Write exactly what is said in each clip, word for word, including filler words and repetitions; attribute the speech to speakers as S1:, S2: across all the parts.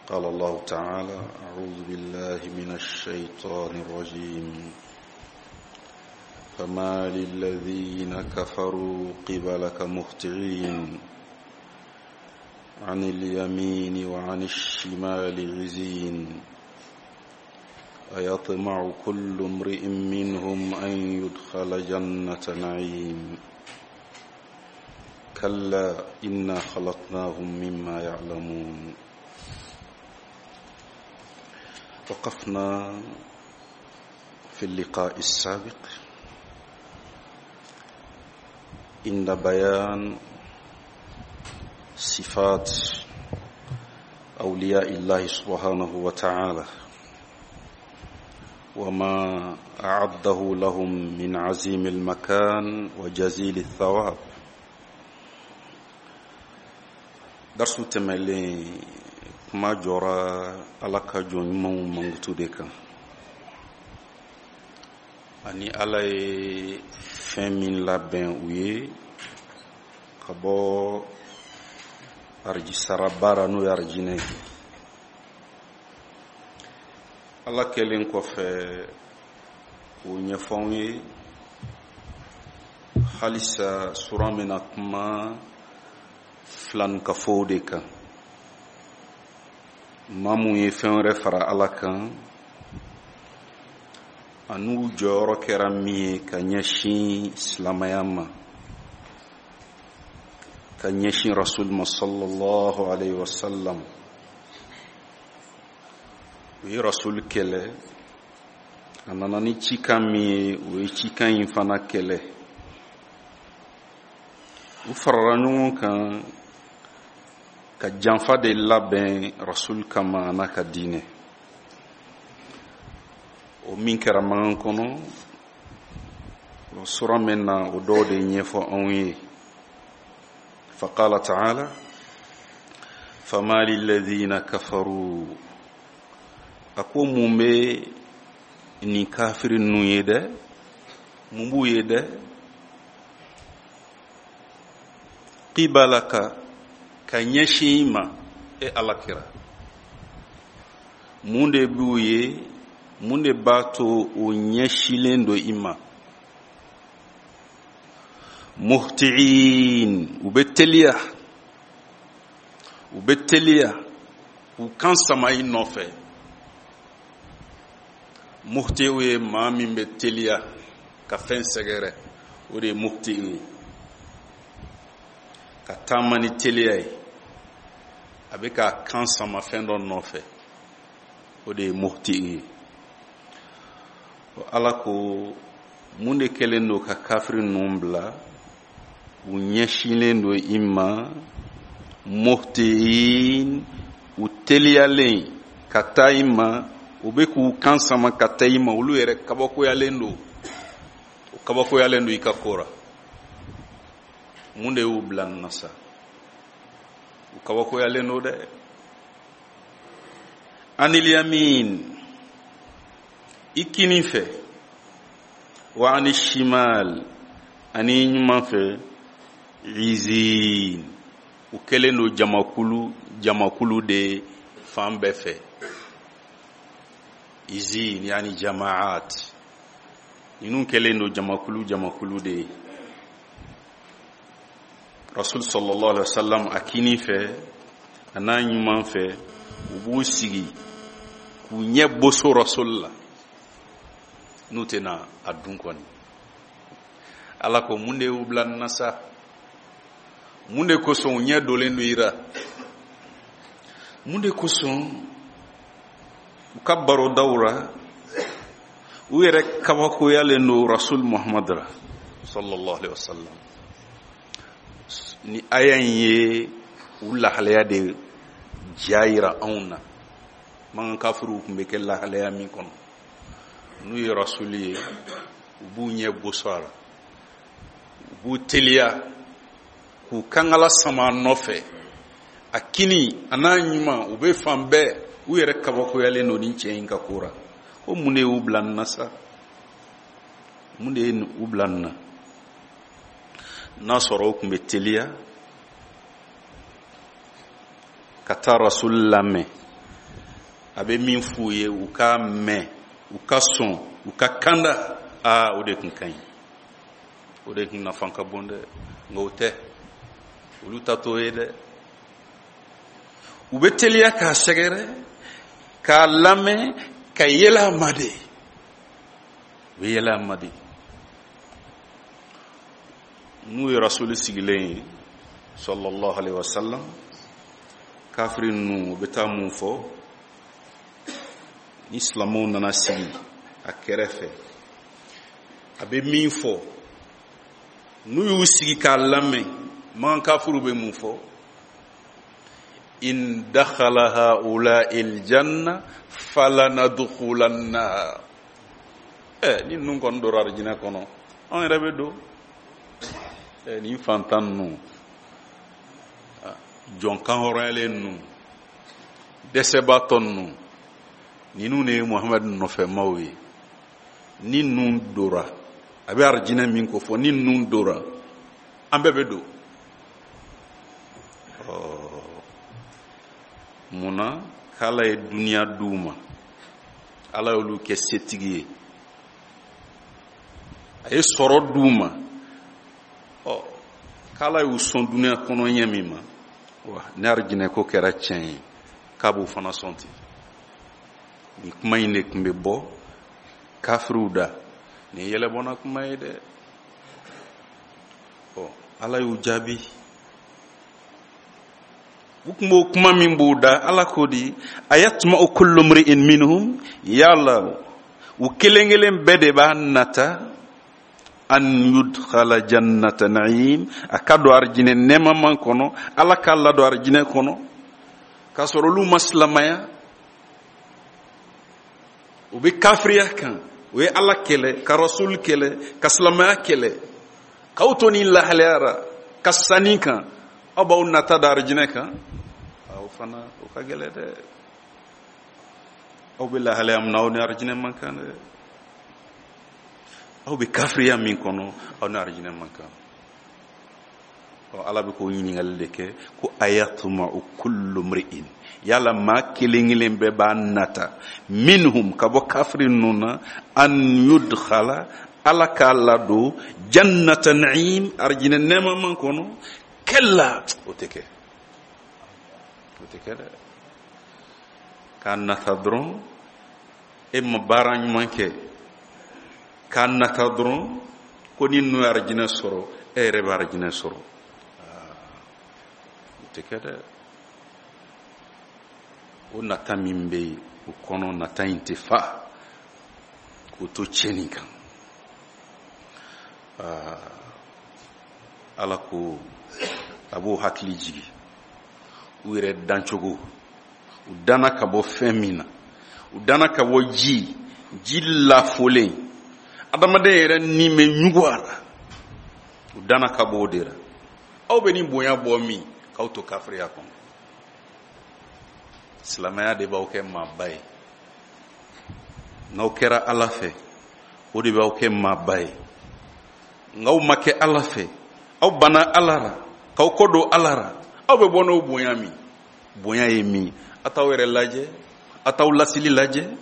S1: قال الله تعالى: أعوذ بالله من الشيطان الرجيم. فما للذين كفروا قبلك مهطعين عن اليمين وعن الشمال عزين أيطمع كل امرئ منهم أن يدخل جنة نعيم كلا إنا خلقناهم مما يعلمون. وقفنا في اللقاء السابق عند بيان صفات أولياء الله سبحانه وتعالى وما أعده لهم من عظيم المكان وجزيل الثواب. درس تملي kuma jɔra Ala ka jɔn ɲumanw mankutu de kan, ani Ala ye fɛn min labɛn u ye ka bɔ arijisara baara n'o ye arijinɛ ye. Ala kɛlen kɔfɛ k'o ɲɛfɔ anw ye, halisa sura bɛna kuma filankafow de kan, maa mun ye fɛn wɛrɛ fara Ala kan an'u jɔyɔrɔ kɛra min ye ka ɲɛsin silamɛya ma, ka ɲɛsin rasul ma sallallahu alayhi wa sallam. U ye rasul kɛlɛ, a nana ni cikan min ye, u ye cikan in fana kɛlɛ. U farala ɲɔgɔn kan ka janfa de labɛn rasul kama a n'a ka diinɛ. O min kɛra mankan kɔnɔ, o sura min na o dɔw de ɲɛfɔ anw ye. Faqala ta'ala: fama lilladhina kafaru. A ko mun bɛ nin kafiri ninnu ye dɛ, mun b'u ye dɛ? Qibalaka, ka ɲɛsin i ma, e Ala kira. Mun de b'u ye, mun de b'a to o ɲɛsilen don i ma? Muhti'in, u bɛ teliya, u bɛ teliya k'u kan sama i nɔfɛ. Muhti'u ye maa min bɛ teliya ka fɛn sɛgɛrɛ, o de ye muhti'u ye, ka taama ni teliya ye, a bɛ k'a kan sama fɛn dɔ nɔfɛ, o de ye muhti'u ye. Ala ko mun de kɛlen don ka kafiri ninnu bila u ɲɛsinnen don i ma? Muhti'in, u teliyalen ka taa i ma, u bɛ k'u kan sama ka taa i ma, olu yɛrɛ kabakoyalen don, u kabakoyalen don i ka ko la. Mun de y'u bila nin na sa? U kabakoyalen don dɛ. Anil yamin, i kinin fɛ, wa ani shimal, ani ɲuman fɛ, izin, u kɛlen don jamakulu jamakulu de fan bɛɛ fɛ. Izin yani jamaat, ninnu kɛlen don jamakulu jamakulu de ye. Rasul sallallahu alaihi wasallam a kinin fɛ a n'a ɲuman fɛ, u b'u sigi k'u ɲɛ boso rasul la, n'u tɛna a dun kɔni. Ala ko mun de y'u bila nin na sa? Mun de kosɔn u ɲɛ dolen don i la? Mun de kosɔn u ka barodaw la u yɛrɛ kabakoyalen don rasul Muhammad la sallallahu alaihi wasallam? Ni aya in ye u lahalaya de ja yira anw na. Mankan kafiriw tun bɛ kɛ lahalaya min kɔnɔ, n'u ye rasuli ye, u b'u ɲɛ boso a la, u b'u teliya k'u kankala sama a nɔfɛ, a kini a n'a ɲuman, u bɛ fan bɛɛ, u yɛrɛ kabakoyalen don nin cɛ in ka ko la. Ko mun de y'u bila nin na sa? Mun de ye u bila nin na? N'a sɔrɔ u tun bɛ teliya ka taa rasul lamɛn, A bɛ min f'u ye u k'a mɛn, u ka sɔn, u ka kanda, aa o de tun ka ɲi, o de tun nafa ka bon dɛ. Nka o tɛ, olu ta t'o ye dɛ. U bɛ teliya k'a sɛgɛrɛ, k'a lamɛn, ka yɛlɛ a ma de. U bɛ yɛlɛ a ma de. N'u ye rasuli sigilen ye sallallahu alaihi wasallam, kafiri ninnu u bɛ taa mun fɔ? Ni silamɛw nana sigi a kɛrɛfɛ, a bɛ min fɔ, n'u y'u sigi k'a lamɛn, makan kafiriw bɛ mun fɔ? In dakhala haula'i aljanna falanadkhulannaha. Ɛ ni ninnu kɔni donna arijinɛ kɔnɔ, anw yɛrɛ bɛ don. Ɛ nin fantan ninnu, jɔn kanhɔrɔnyalen ninnu, dɛsɛbaatɔ ninnu, ninnu de ye Muhamadu nɔfɛmaw ye. Ni ninnu dora, a bɛ arijinɛ min ko fɔ, ni ninnu dora, an bɛɛ bɛ don. Mun na? K'Ala ye duniya d'u ma, Ala y'olu kɛ setigi ye, a ye sɔrɔ d'u ma. Ɔ k'Ala y'u sɔn duniya kɔnɔ ɲɛ min ma, wa ni arijinɛ ko kɛra tiɲɛ ye, k'a b'u fana sɔn ten. Nin kuma in de tun bɛ bɔ kafiriw da. Nin ye yɛlɛbɔnna kuma ye dɛ. Ɔ Ala y'u jaabi. U tun b'o kuma min b'u da, Ala k'o di ayatma'u kullu mri'in minhum, yala u kelen kelen bɛɛ de b'a nata an yudkhala jannata na'im, a ka don arijinɛ nɛɛmaman kɔnɔ, Ala k'a ladon arijinɛ kɔnɔ, k'a sɔrɔ olu ma silamɛya, u bɛ kafiriya kan, u ye Ala kɛlɛ, ka rasul kɛlɛ, ka silamɛya kɛlɛ, k'aw to nin lahalaya la, ka sanni kan, aw b'aw nata da arijinɛ kan. Aw fana o ka gɛlɛn dɛ. Aw bɛ lahalaya min na, aw ni arijinɛ man kan dɛ. Aw bɛ kafiriya min kɔnɔ, aw ni arijinɛ man kan. Ɔ Ala bɛ k'o ɲininkali de kɛ ko ayatma'u kullu mri'in, yala maa kelen kelen bɛɛ b'a nata minhum, ka bɔ kafiri ninnu na, an yudkhala, Ala k'a ladon jannata na'im, arijinɛ nɛɛmaman kɔnɔ. Kalla, o tɛ kɛ, o tɛ kɛ dɛ. K'a nata dɔrɔn, e ma baara ɲuman kɛ, k'a nata dɔrɔn ko ni ninnu ye arijinɛ sɔrɔ, e yɛrɛ bɛ arijinɛ sɔrɔ, o tɛ kɛ dɛ. O nata min bɛ yen, o kɔnɔ nata in tɛ fa, k'o to tiɲɛni kan. Ala ko a b'o hakili jigi u yɛrɛ dancogo, u danna ka bɔ fɛn min na, u danna ka bɔ ji, ji lafolen, adamaden yɛrɛ ni bɛ ɲugu a la, u danna ka bɔ o de la. Aw bɛ nin bonya bɔ min, k'aw to kafiriya kɔnɔ. Silamɛya de b'aw kɛ maaba ye. N'aw kɛra Ala fɛ, o de b'aw kɛ maaba ye. N'aw ma kɛ Ala fɛ, aw banna Ala la, k'aw kɔ don Ala la, aw bɛ bɔ n'o bonya min? Bonya ye min? A t'aw yɛrɛ lajɛ, a t'aw lasili lajɛ,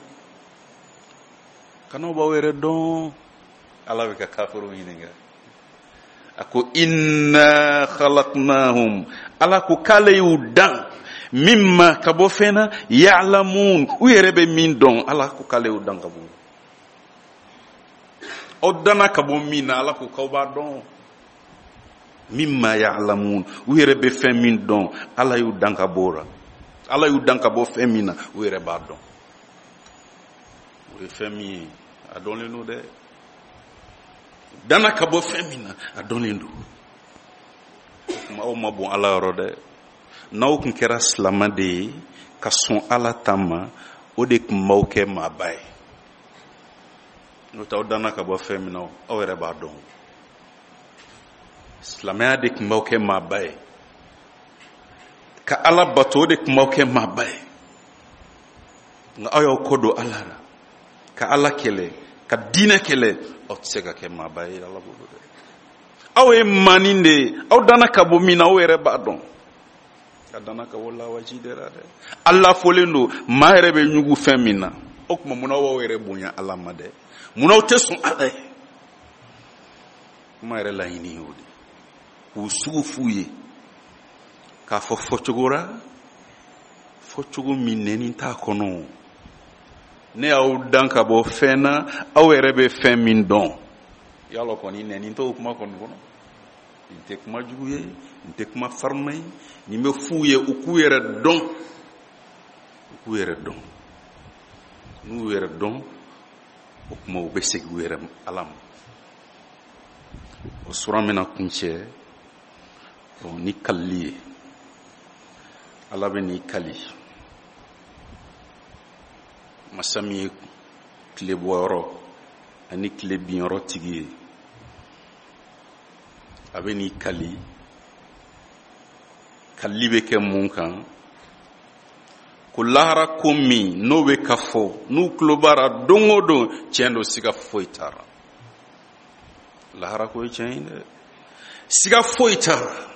S1: kan'aw b'aw yɛrɛ dɔn. Ala bɛ ka kafiriw ɲininka. A ko inna khalaqnahum, Ala ko k'ale y'u dan mimma, ka bɔ fɛn na, ya'lamun, u yɛrɛ bɛ min dɔn, Ala ko k'ale y'u dan ka bɔ. Aw danna ka bɔ min na, Ala ko k'aw b'a dɔn. Mimma ya'lamun, u yɛrɛ bɛ fɛn min dɔn, Ala y'u dan ka bɔ o la. Ala y'u dan ka bɔ fɛn min na, u yɛrɛ b'a dɔn. O ye fɛn min ye, a dɔnlen don dɛ. Danna ka bɔ fɛn min na, a dɔnlen don. O tuma aw ma bon Ala yɔrɔ dɛ. N'aw tun kɛra silamɛ de ye, ka sɔn Ala ta ma, o de tun b'aw kɛ maaba ye. N'o tɛ aw danna ka bɔ fɛn min na, aw yɛrɛ b'a dɔn. Silamɛya de tun b'aw kɛ maaba ye. Ka Ala bato, o de tun b'aw kɛ maaba ye. Nka aw y'aw kɔ don Ala la, ka Ala kɛlɛ, ka diinɛ kɛlɛ, aw tɛ se ka kɛ maaba ye Ala bolo dɛ. Aw ye maanin de ye, aw danna ka bɔ min na, aw yɛrɛ b'a dɔn. A danna ka bɔ lawaji de la dɛ. Ala fɔlen don maa yɛrɛ bɛ ɲugu fɛn min na. O tuma munna aw yɛrɛ bonya Ala ma dɛ? Munna aw tɛ sɔn Ala ye? Kuma yɛrɛ laɲini y'o de. K'u sugu f'u ye. K'a fɔ fɔcogo la, fɔcogo min nɛni t'a kɔnɔ. Ne y'aw dan ka bɔ fɛn na, aw yɛrɛ bɛ fɛn min dɔn. Yalɔ kɔni nɛni t'o kuma kɔni kɔnɔ. Nin tɛ kuma jugu ye, nin tɛ kuma farima ye, nin bɛ f'u ye u k'u yɛrɛ dɔn. U k'u yɛrɛ dɔn. N'u yɛrɛ dɔn, o kuma u bɛ segin u yɛrɛ Ala ma. O sura bɛna kuncɛ ni kalili ye. Ala bɛ n'i kali. Masa min ye tile bɔyɔrɔ ani tile binyɔrɔ tigi ye, a bɛ n'i kali. Kalili bɛ kɛ mun kan? Ko lahara ko min n'o bɛ ka fɔ, n'u tulo b'a la don o don, tiɲɛ don, siga foyi t'a la. Lahara ko ye tiɲɛ ye dɛ, siga foyi t'a la.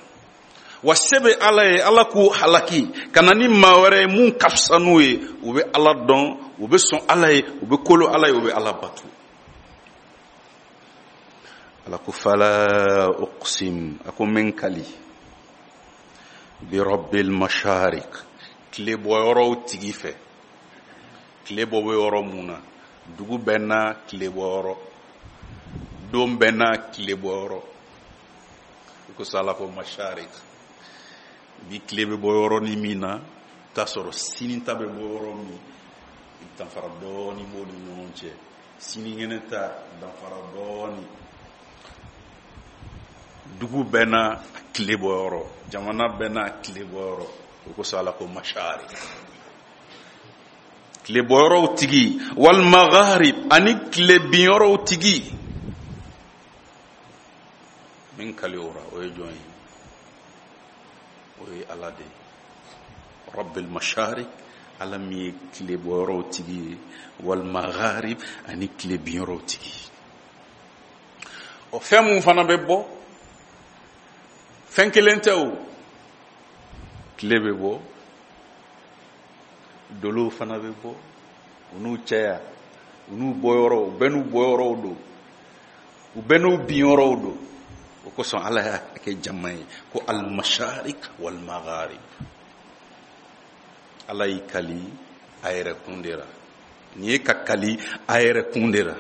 S1: Wa se bɛ Ala ye, Ala k'u halaki ka na ni maa wɛrɛ ye mun ka fisa n'u ye. U bɛ Ala dɔn, u bɛ sɔn Ala ye, u bɛ kolo Ala ye, u bɛ Ala bato. Ala ko fala uqsim, a ko n bɛ n kali bi rabbil masharik, tile bɔyɔrɔw tigi fɛ. Tile bɔ bɛ yɔrɔ mun na, dugu bɛɛ n'a tile bɔyɔrɔ, don bɛɛ n'a tile bɔyɔrɔ. I ko sa Ala ko masharik, bi tile bɛ bɔ yɔrɔ ni min na, t'a sɔrɔ sini ta bɛ bɔ yɔrɔ min, danfara dɔɔni b'o ni ɲɔgɔn cɛ. Sinikɛnɛ ta danfara dɔɔni. Dugu bɛɛ n'a tile bɔyɔrɔ, jamana bɛɛ n'a tile bɔyɔrɔ. O kosɔn Ala ko masharik, tile bɔyɔrɔw tigi, wal magharib, ani tile binyɔrɔw tigi. Min kali o ra, o ye jɔn ye? O ye Ala de ye. Rabbil masharik, Ala min ye tile bɔyɔrɔw tigi ye, wal magharib, ani tile binyɔrɔw tigi. O fɛn mun fana bɛ bɔ, fɛn kelen tɛ o. Tile bɛ bɔ, dolow fana bɛ bɔ, u n'u cɛya, u n'u bɔyɔrɔw, u bɛɛ n'u bɔyɔrɔw don, u bɛɛ n'u binyɔrɔw don. O kosɔn Ala y'a kɛ jama ye ko al-masharik wal-magharib. Ala y'i kali a yɛrɛ kun de la. Nin ye ka kali a yɛrɛ kun de la.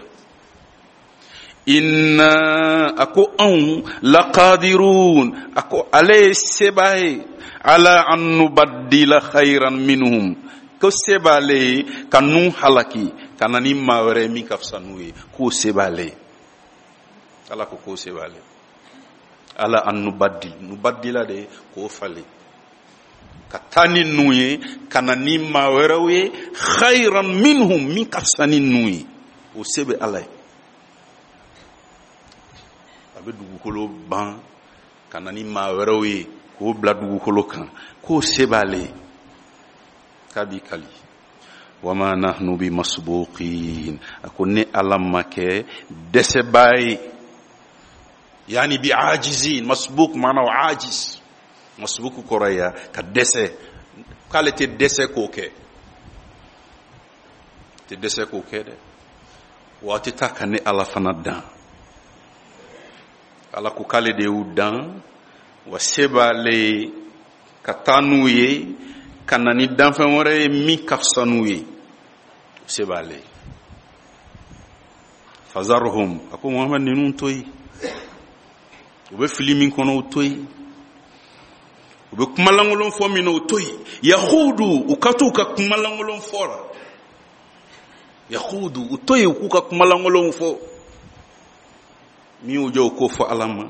S1: Inna, a ko anw laqadirun, a ko ale ye sebaa ye, ala an nubaddila khayran minhum, ko se b'ale ye ka nun halaki ka na ni maa wɛrɛ ye min ka fisa n'u ye, k'o se b'ale ye. Ala ko k'o se b'ale ye. Ala an nubaddil, nubaddila de k'o falen, ka taa ni nun ye, ka na ni maa wɛrɛw ye, khayran minhum, min ka fisa ni nun ye, o se bɛ Ala ye. A bɛ dugukolo ban ka na ni maa wɛrɛw ye k'o bila dugukolo kan, k'o se b'ale ye. K'a b'i kali. Wama nahnu bi masbuqin, a ko ne Ala ma kɛ dɛsɛbaa ye. Yani bi ajizin, masbuq maana o ajiz. Masbuq kɔrɔ ye ka dɛsɛ, k'ale tɛ dɛsɛ k'o kɛ, tɛ dɛsɛ k'o kɛ dɛ. Wa a tɛ taa ka ne Ala fana dan. Ala ko k'ale de y'u dan, wa se b'ale ye ka taa n'u ye, ka na ni danfɛn wɛrɛ ye min ka fisa n'u ye, se b'ale ye. Fazarhum, a ko Muhamad ninnu to yen, u bɛ fili min kɔnɔ o to yen, u bɛ kumalankolon fɔ min na o to yen. Yahudu, u ka t'u ka kumalankolon fɔ la. Yahudu, u to yen u k'u ka kumalankolonw fɔ. Min y'u jɔ u k'o fɔ Ala ma,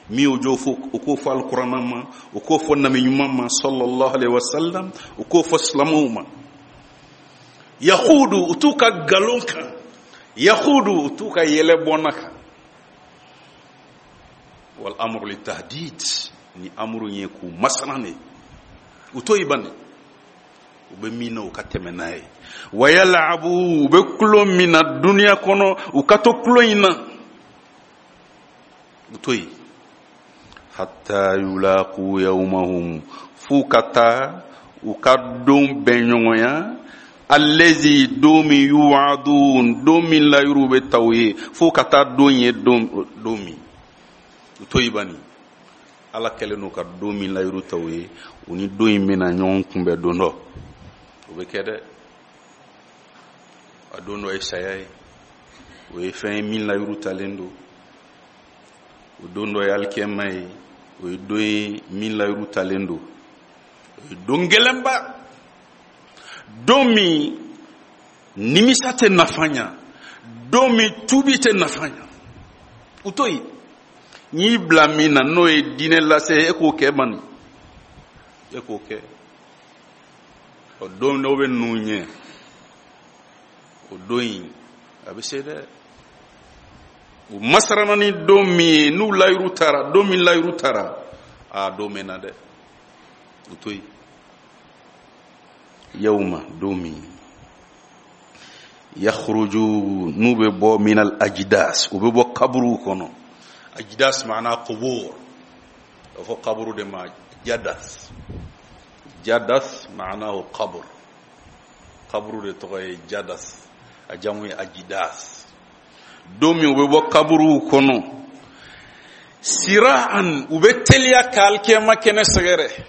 S1: min y'u jɔ u k'o fɔ Alikuranɛ ma, u k'o fɔ nabi ɲuman ma sallallahu alaihi wa sallam, u k'o fɔ silamɛw ma. Yahudu, u t'u ka nkalon kan. Yahudu, u t'u ka yɛlɛ bɔnna kan. Wal amru litahdid, ni amru ye k'u masana de, u to yen bani, u bɛ min na u ka tɛmɛ n'a ye. Wa yalabu, u bɛ kulon min na duniya kɔnɔ, u ka to kulon in na, u to yen. Hatta yulaqu yawmahum, f'u ka taa u ka don bɛn ɲɔgɔnya, allazi don min yu'adun, don min layiru bɛ ta u ye, f'u ka taa don ye don don min u to yen bani. Ala kɛlen don ka don min layiru ta u ye, u ni don in bɛna ɲɔgɔn kunbɛn don dɔ. O bɛ kɛ dɛ. A don dɔ ye saya ye, o ye fɛn ye min layiru talen don. O don dɔ ye alikiyama ye, o ye don ye min layiru talen don. O ye don gɛlɛnba, don min nimisa tɛ nafa ɲa, don min tuubi tɛ nafa ɲa. U to yen, n y'i bila min na n'o ye diinɛ lase, e k'o kɛ mani, e k'o kɛ. O don dɔw bɛ ninnu ɲɛ, o don in a bɛ se dɛ. U masarana ni don min ye, n'u layiru taara, don min layiru taara, a don bɛ na dɛ. U to yen. Yawma, don min yakhruju, n'u bɛ bɔ minal ajdas, u bɛ bɔ kaburuw kɔnɔ. Ajdas maana qubur, o fɔ kaburu de ma jadas. Jadas maanahu qabr, kaburu de tɔgɔ ye jadas, a jamu ye ajidas. Don min u bɛ bɔ kaburuw kɔnɔ, siraan, u bɛ teliya ka alikiyama kɛnɛ sɛgɛrɛ.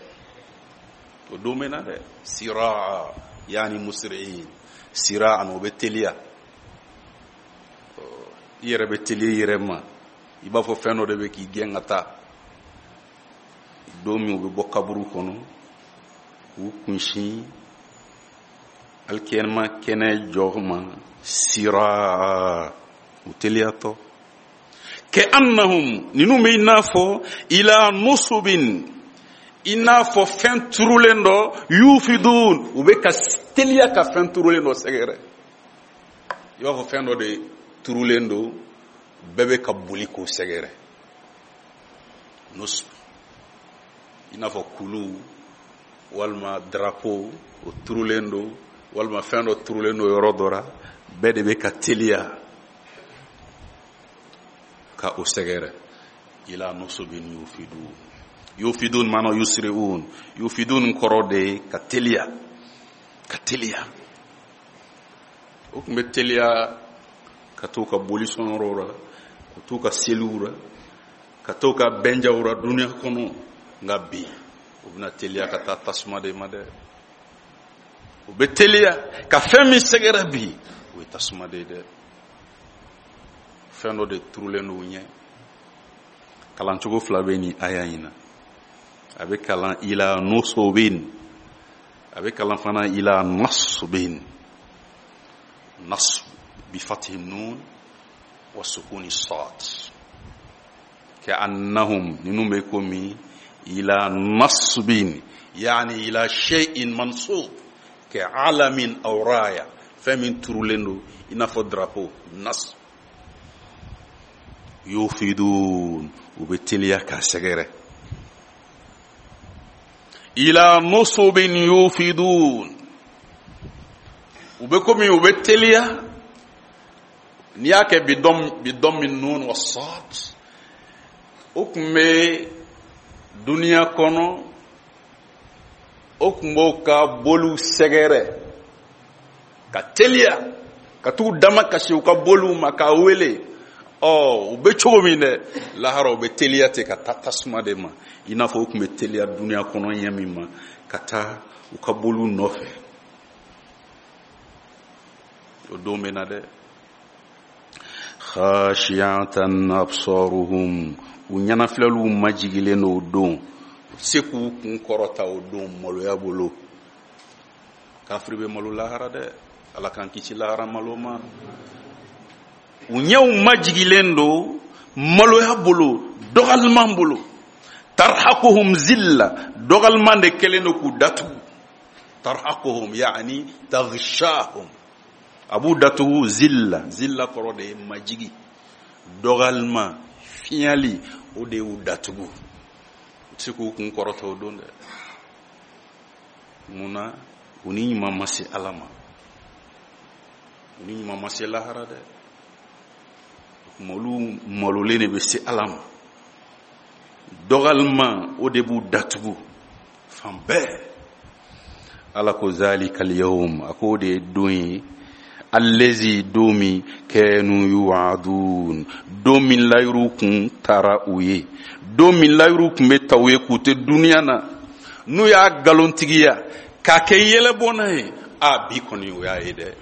S1: O don bɛ na dɛ. Siraa yaani musri'in, siraan, u bɛ teliya. I yɛrɛ bɛ teliya i yɛrɛ ma, i b'a fɔ fɛn dɔ de bɛ k'i gɛn ka taa. Don min u bɛ bɔ kaburu kɔnɔ, k'u kunsin alikiyama kɛnɛ jɔ ma, siraa, u teliyatɔ. Kɛ annahum, ninnu bɛ i n'a fɔ ila nusubin, i n'a fɔ fɛn turulen dɔ, yufidun, u bɛ ka teliya ka fɛn turulen dɔ sɛgɛrɛ. I b'a fɔ fɛn dɔ de turulen don, bɛɛ bɛ ka boli k'o sɛgɛrɛ. Nusub, i n'a fɔ kulu walima drapeau, o turulen don, walima fɛn dɔ turulen don yɔrɔ dɔ la, bɛɛ de bɛ ka teliya ka o sɛgɛrɛ. Ila nusubin yufidun. Yufidun maana yusri'un. Yufidun kɔrɔ de ye ka teliya, ka teliya. O tun bɛ teliya ka t'u ka boli sɔnyɔrɔw la, ka t'u ka seliw la, ka t'u ka bɛnjaw la duniya kɔnɔ. Nka bi u bɛna teliya ka taa tasuma de ma dɛ. U bɛ teliya ka fɛn min sɛgɛrɛ bi, o ye tasuma de ye dɛ. Fɛn dɔ de turulen don u ɲɛ. Kalancogo fila bɛ nin aya in na. A bɛ kalan ila nusobin, a bɛ kalan fana ila nasbin. Nasb bi fathi nun wa sukuni sad. Ka annahum, ninnu bɛ komi ila nasbin, yani ila shay'in mansub, ka alamin aw raya, fɛn min turulen don i n'a fɔ drapeau. Nasb yufidun, u bɛ teliya k'a sɛgɛrɛ. Ila nusubin yufidun, u bɛ komi u bɛ teliya. N'i y'a kɛ bi dɔmmi nun wa sad, o tun bɛ duniya kɔnɔ, o tun b'o ka boliw sɛgɛrɛ ka teliya ka t'u dama kasi u ka boliw ma k'a wele. Ɔ, u bɛ cogo min dɛ, lahara u bɛ teliya ten ka taa tasuma de ma, i n'a fɔ u tun bɛ teliya duniya kɔnɔ ɲɛ min ma ka taa u ka boliw nɔfɛ. O don bɛ na dɛ. Khashiyatan absaruhum, u ɲɛnafilɛliw majigilen don o don, u tɛ se k'u kun kɔrɔta o don maloya bolo. Kafiri bɛ malo lahara dɛ, Ala k'an kisi lahara malo ma. U ɲɛw majigilen don maloya bolo, dɔgɔliman bolo. Tarhaquhum zilla, dɔgɔliman de kɛlen don k'u datugu. Tarhaquhum yaani taghshahum, a b'u datugu zilla. Zilla kɔrɔ de ye majigi, dɔgɔliman, fiɲɛli, o de y'u datugu. U tɛ se k'u kun kɔrɔta o don dɛ. Mun na? U ni ɲuman ma se Ala ma, u ni ɲuman ma se lahara dɛ. Olu malolen de bɛ se Ala ma. Dɔgɔyalima o de b'u datugu fan bɛɛ. Ala ko zalikal yawm, a ko o de ye don ye, allazi don min, kanu yu'adun, don min layiru kun tara u ye, don min layiru kun bɛ ta u ye k'u tɛ duniya na, n'u y'a nkalontigiya k'a kɛ yɛlɛbɔnna ye. A bi kɔni o y'a ye dɛ,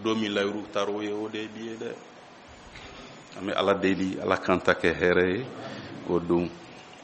S1: don min layiru taara o ye, o de ye bi ye dɛ. An bɛ Ala deli, Ala k'an ta kɛ hɛrɛ ye o don.